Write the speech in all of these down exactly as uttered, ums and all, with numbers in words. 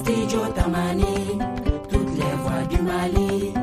Studio Tamani, toutes les voix du Mali.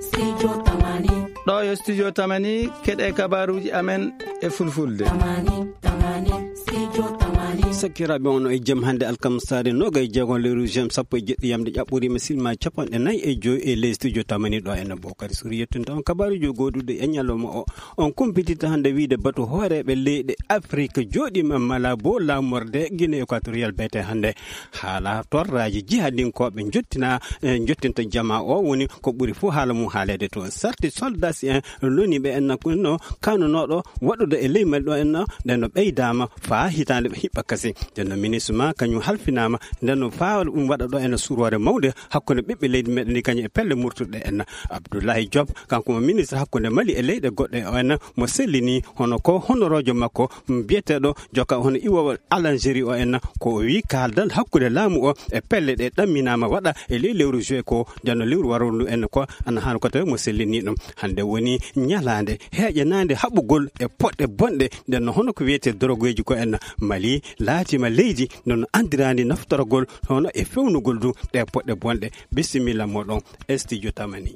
Studio Tamani. Ɗo yo Studio Tamani, keɗe kabaruuji amen e fulfulde. Tamani, Tamani, Studio Tamani. Sakkiraaɓe, on e jam hannde alkamsaare noga e jeego lewru juin sappo e jeɗɗi yamde ƴaɓɓoriima silma capanɗe nayi e joy e ley Studio Tamani ɗo en Bokari Suri yettunta on kabaruuji gooduɗi e ñalawma o. On kumpititta hannde wiide batu hooreeɓe leyɗe Afrik jooɗiima Malabo laamorde Guinée Équatoriale beete hannde. Haala torraaji jihadinkooɓe njottina, e, njottinta jamaa o woni ko ɓuri fof haala mum haaleede toon. Sarti soldats en loni ɓe en no kanunooɗo waɗude e ley Mali ɗo en no ɗen no ɓeydaama faa hitaande hiɓɓa kasi. Nden no ministre ma kañum halfinaama nden no faa ɗum waɗa ɗo en no surore mawnde hakkunde ɓiɓɓe leydi meɗen ndi kañum e pelle murtuɗe en. Abdoulaye Diop, kanko mo ministre hakkunde Mali e leyɗe goɗɗe o en mo sellini hono ko honoroojo makko, mm, biyeteeɗo jokka hono iwowal Algérie o en ko o wi kaaldal hakkunde laamu o e pelle ɗe ɗamminaama waɗa e ley lewru juin ko nden no lewru waroo ndu en ko ana haani ko tawi mo sellini ɗum. Hannde woni ñalaande heeƴanaande haɓugol e poɗɗe bonɗe nden no hono ko wiyetee dorogeeji ko en Mali laatiima leydi nden no anndiraandi naftorgol hono e fewnugol du ɗe poɗɗe bonɗe. Bisimilla moɗon e Studio Tamani.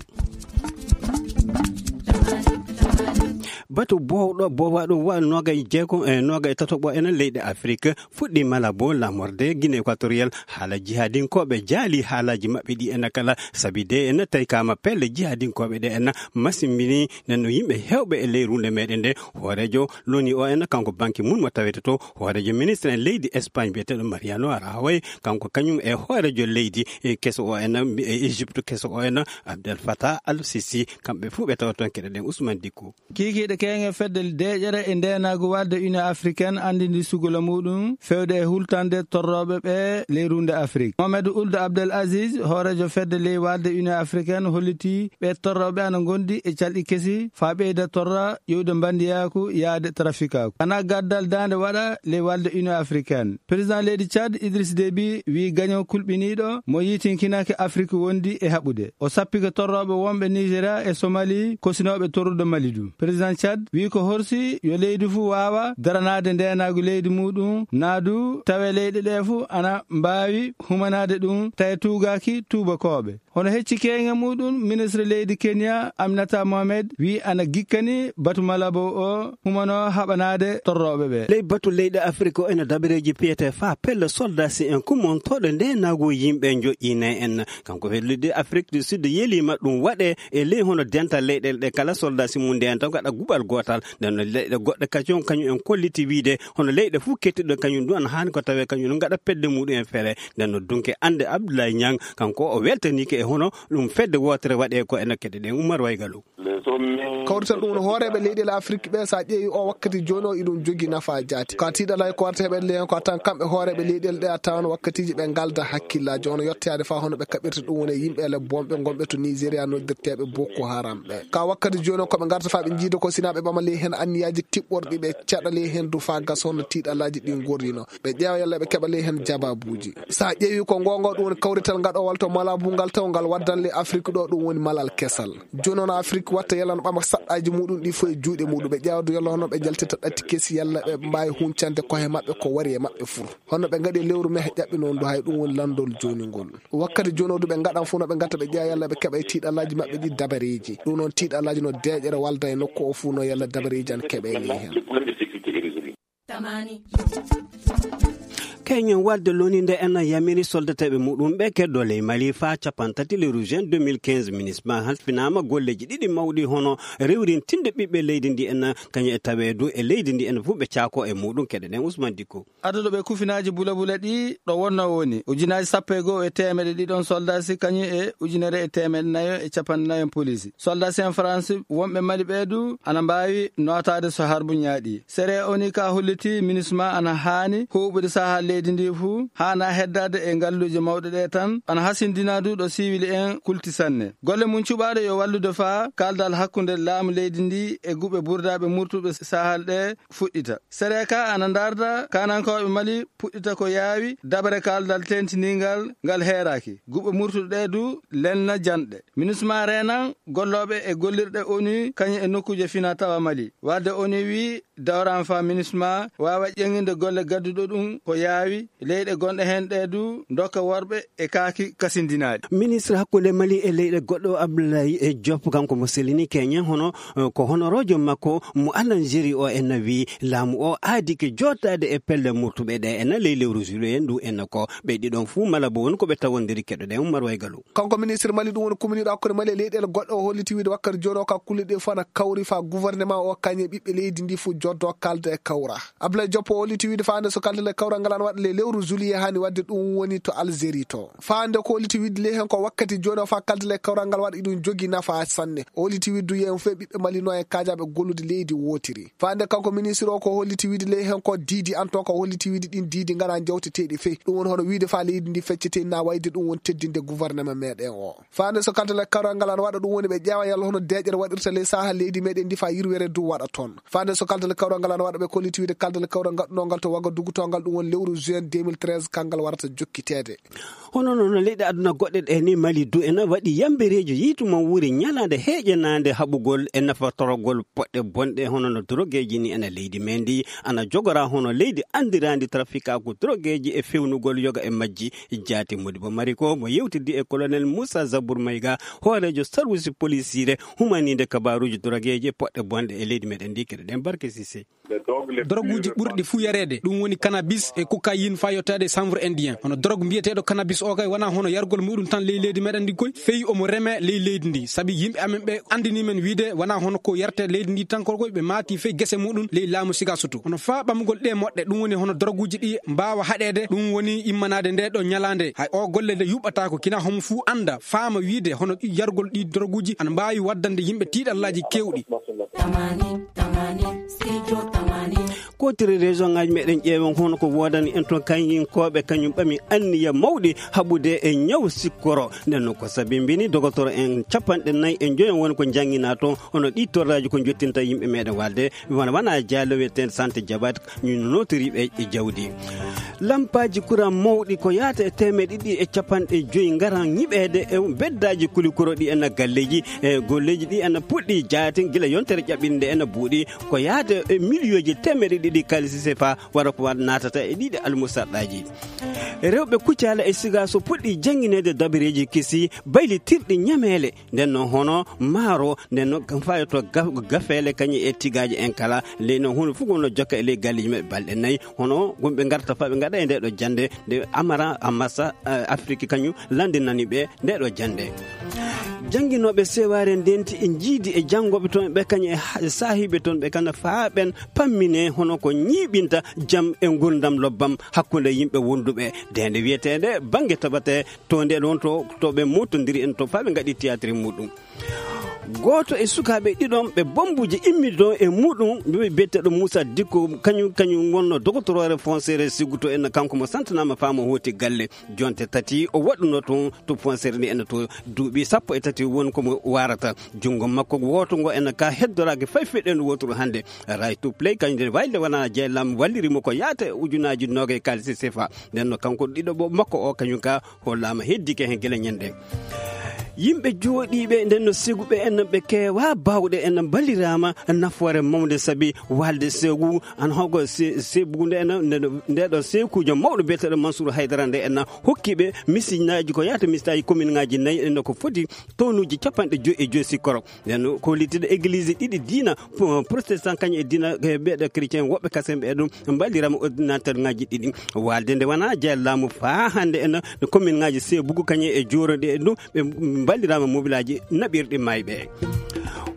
Batu boowɗo boowaaɗo wa noga e jeego e noga e tataɓo enen leyɗe Afrik fuɗɗi Malabo laamorde Guinée Équatoriale haala jihadinkooɓe jaali haalaaji maɓɓe ɗi ena kala sabi de ena tawi kama pelle jihadinkooɓe ɗe ena masimbini nen no yimɓe heewɓe e ley runde meɗen nde. Hooreejo loni o ena kanko Ban Ki-moon mo tawete to hooreejo ministre en leydi Espagne biyeteeɗo Mariano Rajoy, kanko kañum e hooreejo leydi e keso o ena e Égypte keso o ena Abdel Fattah Al Sisi, kamɓe fuu ɓe tawa toon keɗe ɗen Ousmane Dicko. Kiikiiɗe keeŋe fedde deeƴere e ndeenaagu walde Union Africaine anndindi sugula muuɗum fewde e hultande torrooɓe ɓe ley runde Afrik. Mohamed Ould Abdel Aziz, hooreejo fedde ley walde Union Africaine, hollitii ɓe torrooɓe ana ngondi e calɗi kesi faa ɓeyda torra ƴuwde mbandiyaaku yaade trafikaaku. Ana gaddal daande waɗa ley walde Union Africaine. Président leydi Tchad, Idriss Déby, wii gaño kulɓiniiɗo mo yiitinkinaki Afrik wondi e haɓude. O sappike torrooɓe wonɓe Nigeria e Somali kosinooɓe torrude Mali du. Président Tchad wii ko horsi yo leydi fuu waawa daranaade ndeenaagu leydi muuɗum, naa du tawee leyɗe ɗee fuu ana mbaawi humanaade ɗum, tawi tuugaaki tuubakooɓe. Hono hecci keeŋe muuɗum, ministre leydi Kenya, Aminata Mohamed, wii ana gikkani batu Malabo o humano haɓanaade torrooɓe ɓe. Ley batu leyɗe Afrik o ena dabareeji piyetee faa pelle soldasi en kumontooɗo ndeenaagu yimɓe njoƴƴiine en. Kanko fellidi Afrik du Sud yeliima ɗum waɗe e ley hono dental leyɗeele ɗe kala soldasi mum nde en taw ngaɗa guɓal gootal. Nden no leyɗe goɗɗe kañum, kañum en kolliti wiide hono leyɗe fuu kettiɗo kañum ɗum ana haani ko tawee kañum no ngaɗa pedde muɗum en fere. Nden no dunke annde Abdoulaye Niang, kanko o weltaniike e hono ɗum fedde wootere waɗee ko ena keɗe ɗen Oumar Waygalo. Kawrital ɗum no hooreeɓe leyɗeele Afrik ɓe, so a ƴeewi o wakkati jooni o, iɗum jogi nafa jaati. Ko a tiiɗalay ko warta heɓe ley hen ko a tan kamɓe hooreeɓe leyɗeele ɗe a tawan wakkatiji ɓe ngalda hakkillaaji, hono yettoyaade faa hono ɓe kaɓirta ɗum woni e yimɓe ele bonɓe gonɓe to Nigeria noddirteeɓe Boko Haram ɓe. Ka wakkati jooni o ko ɓe ngarta faa ɓe njiida ko sina ɓe ɓama ley hen anniyaaji tiɓɓorɗi ɓe caɗa ley hen du faa gasa hono tiiɗalaaji ɗi ngorrino. Ɓe ƴeewa yalla ɓe keɓa ley hen jabaabuuji. So a ƴeewi ko ngoonga ɗum woni kawrital ngaɗowal to Malabo ngal taw ngal waddan ley Afrik ɗo ɗum woni malal kesal. Jooni noon Afrik watta yalla no ɓama saɗɗaaji muɗum ɗi fof e juuɗe muɗum. Ɓe ƴeewa du yalla hono ɓe njaltita ɗatti kesi yalla ɓe mbaawi huncande kohe maɓɓe ko wari e maɓɓe fuu. Hono ɓe ngaɗi lewru mehe ƴaɓɓi noon du hay ɗum woni lanndol jooni ngol. Wakkati jooni o du ɓe ngaɗan fof no ɓe ngatta ɓe ƴeewa yalla ɓe keɓa e tiiɗalaaji maɓɓe ɗi dabareeji. Ɗum noon tiiɗalaaji no deeƴere walda e nokku o fuu no yalla dabareeji ana keɓe e ley hen. Tamani. Keñen walde loni nde en yamiri soldateeɓe muɗum ɓe keddo ley Mali faa capanɗe tati lewru juin deux mille quinze. Minisma halfinaama golleeji ɗiɗi mawɗi hono rewrintinde ɓiɓɓe leydi ndi en kañum e taweedu e leydi ndi en fof ɓe caako e muɗum keɗe ɗen Ousmane Dicko. Adduɗo ɓe kufinaaji bulabula ɗi ɗo wonno woni ujunaaji sappo e go'o e teemeɗe ɗiɗon soldasi kañum e ujunere e teemeɗe nayo e capanɗe nayo polisi. Soldasi en France wonɓe Mali ɓe du ana mbaawi nootaade so harbu ñaaɗi. Sere oni ka holliti minisma ana haani huuɓude saha leydi ndi fuu, haana heddaade e ngalluuje mawɗe ɗe tan, ana hasindina du ɗo siwili en kulti sanne. Golle mum cuɓaaɗo yo wallude faa kaaldal hakkunde laamu leydi ndi e guɓe burdaaɓe murtuɓe sahal ɗe fuɗɗita. Sere ka ana ndarda kanankooɓe Mali puɗɗita ko yaawi dabare kaaldal tentiningal ngal heeraaki. Guɓe murtuɗe ɗe du lelna janɗe. Minisma reenan gollooɓe e gollirɗe onu kañum e nokkuuje fina tawa Mali. Wadde onu wii dawran faa minisma waawa ƴeŋinde golle gadduɗo ɗum ko yaawi. Leyɗe gonɗe heen ɗe du ndokka worɓe e kaaki kasindinaaɗi. Ministre hakkunde Mali e leyɗe goɗɗo Abdoulaye e Diop, kanko mo selini keñen hono, eh, ko honoroojo makko mo Algérie o en na wi laamu o aadi ke jootaade e pelle murtuɓe ɗe en na ley lewru juillet ndu en na ko ɓe ɗiɗon fuu mala bo won ko ɓe tawondiri keɗoɗen Umar Waygalu. Kanko ministre Mali ɗum woni kumniiɗo hakkunde Mali e leyɗeele goɗɗe o holliti wiide wakkati jooni o ka kulle ɗe fof na kawri fa gouvernement o kañe ɓiɓɓe leydi ndi fof joddo kalda e kawra. Abdoulaye Diop o holliti wiide faande so kalde le kawral ngal ana waɗa le lewru juillet hani wadde ɗum woni to Algérie to. Faande ko holliti wiide le hen ko wakkati jooni o fa kalde le kawral ngal waɗa iɗum jogi nafa sanne. O holliti wiide du yeeyon fee ɓiɓɓe Mali no e kaajaɓe gollude leydi wotiri. Faande kanko ministre o ko holliti wiide le hen ko diidi an to ko holliti wiide ɗin diidi ngana jawteteeɗi fee. Ɗum woni hono wiide fa leydi ndi feccete na wayde ɗum woni teddinde gouvernement meɗen o. Faande so kalde le kawral ngal ana waɗa ɗum woni ɓe ƴeewa yalla hono deeƴere waɗirta ley saha leydi meɗen ndi fa yirwere du waɗa toon. Faande so kalde le kawral ngal ana waɗa ɓe kolliti wiide kalde le kawral gaɗɗunongal to Wagadugu to ngal ɗum woni lewru juin deux mille treize kangal warata jokkiteede. Hono noon leyɗe aduna goɗɗe ɗe ni Mali du ena waɗi yambereejo yiytu mo wuuri ñalaande heeƴanaande haɓugol e nafatorogol poɗɗe bonɗe hono no drogeeji ni ena leydi men ndi ana jogora hono leydi anndiraandi trafikaaku drogeeji e fewnugol yoga e majji. Jaati Modibo Mariko mo yewtidi e colonel Moussa Zabour Mayga, hooreejo sarwisi polisiire humaniinde kabaaruuji drogeeji e poɗɗe bonɗe e leydi meɗen ndi keɗoɗen Barke Sise. Doroguuji ɓurɗi fuu yareede, ɗum woni kanabis e cocaïne faa yottaade e chanvre indien. Hono dorog mbiyeteeɗo kanabis o kay, wanaa hono yargol muɗum tan ley leydi meɗen ndi koy, fey omo reme ley leydi ndi. Sabi yimɓe amen ɓe anndini men wiide, wanaa hono ko yarte leydi ndi tan koy, ɓe maati fey gese muɗum ley laamu Sigasoto. Hono faa ɓamugol ɗee moɗɗe, ɗum woni hono doroguuji ɗi mbaawa haɗeede, ɗum woni immanaade nde ɗo ñalaande. Hay o golle nde yuɓɓataako, kina homo fuu annda, faama wiide, hono yargol ɗi doroguuji ana mbaawi waddande yimɓe tiiɗallaaji keewɗi. Tamani, tamani, studio tamani. Kotiri région ngaji meɗen ƴeewen hono ko woodani en toon kañinkooɓe kañum ɓami anniya mawɗi haɓude e ñaw sikkoro. Nden noon ko sabimbini dogotoro en capanɗe nayi e joyo woni ko njannginaa toon, hono ɗi torraaji ko njottinta yimɓe meɗen walde, wona, wona jaalo wiyeteende Sante Jabat, ñu notoriiɓe e jawdi. Lampaaji kuran mawɗi ko yaata e teemeɗe ɗiɗi e capanɗe joyi ngaran ñiɓeede e beddaaji kulikuro ɗi en galleeji e golleeji ɗi en puɗɗi jaatin gila yontere ƴaɓɓinde en buuɗi ko yaata e miliyooji teemeɗe ɗiɗi kaalisi sefa wara ko wa-, naatata e ɗiɗi almusarɗaaji. Rewɓe Kucala e Siga so puɗɗi janngineede dabareeji kesi baylitirɗi ñameele, nden noon hono maaro, nden noon kam fayoto ga-, gafeele kañum e tigaaje en kala, ley noon hono fof wonno jokka e ley galleeji maɓɓe balɗe nayi, hono wonɓe ngarta fa ɓe ngaɗa e nde ɗo jannde, nde Amara Amasa, eh, Afrique kañum lanndinani ɓe nde ɗo jannde. Jannginooɓe sewaare ndenti e njiidi e janngooɓe toon ɓe kañum e ha-, e saahiiɓe toon ɓe kana faa ɓen pammine hono ko ñiiɓinta jam e nguurndam lobbam hakkunde yimɓe wonduɓe. Nde nde wiyeteende bannge tabatee to nde ɗon to, to ɓe mootondiri en to faa ɓe ngaɗi théâtre muɗum. Gooto e sukaaɓe ɗiɗon ɓe bommbuuji immi ɗon e muɗum, ɓe biyeteeɗo Moussa Dicko, kañum, kañum wonno dogotoroore foncière Sigu to en, kanko mo santanaama faa mo hooti galle. Jonte tati o waɗuno toon to foncière ndi en to duuɓi sappo e tati won ko mo waarata. Junngo makko wooto ngo en ka heddoraaki fay feɗen wooturu hannde. Right to Play, kañum nden wayde wona jeylam walliri mo ko yaata e ujunaaji noogay kaalisi sefa. Nden no kanko ɗiɗo bo makko o kañum ka hollaama heddike heen gila ñande. Yimɓe jooɗiiɓe nden no Sigu ɓe en, ɓe keewa baawɗe en mballiraama nafoore mawnde sabi walde Sigu an hogo Se-, Sigu nde en, nde, nde ɗo Sekuujo mawɗo biyeteeɗo Mansour Haydara nde en hokki ɓe misinnaaji ko yaata misitaaji commune ngaaji nayi en ko foti tonuuji capanɗe joyi e joyi sikkoro. Nden ko hollitiiɗo église ɗiɗi diina, pro-, protestant kañum e diina, e ɓeeɗo chrétien woɓɓe kasen ɓe ɗum mballirama ordinateur ngaji ɗiɗi. Walde nde wona jeya laamu faa hannde en no commune ngaji Sebugu kañum e Jooro ɗe ɗum ɓe mballirama mobilaji naɓirɗi mayɓe.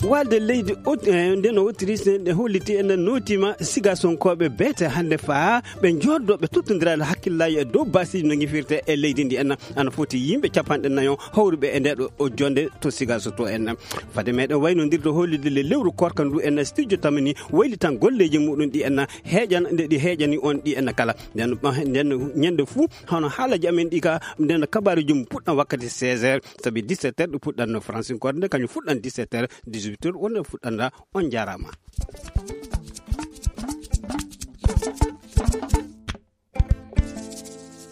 Walde leydi Aut-, eh, nden no Autriche nde holliti en nootima Sigasonkooɓe beete hannde faa ɓe jooɗdo ɓe tottondirade hakkillaji e dow basiji no ngifirte e leydi ndi en. Ana foti yimɓe capanɗe nayo hawruɓe e nde ɗo o jonde to Sigaso to en. Fade meɗen waynodirde hollude le lewru korka ndu en studio tamani waylitan golleji muɗum ɗi en heeƴan nde ɗi heeƴani on ɗi en kala. Nden, nden ñande fuu hono haalaji amen ɗi ka nden kabaruji mum puɗɗan wakkati seize heures sabi dix-sept heures ɗi puɗɗanno Francinkore nde kañum fuɗɗan dix-sept heures, dix-huit heures wonde fuɗɗanda. On jarama.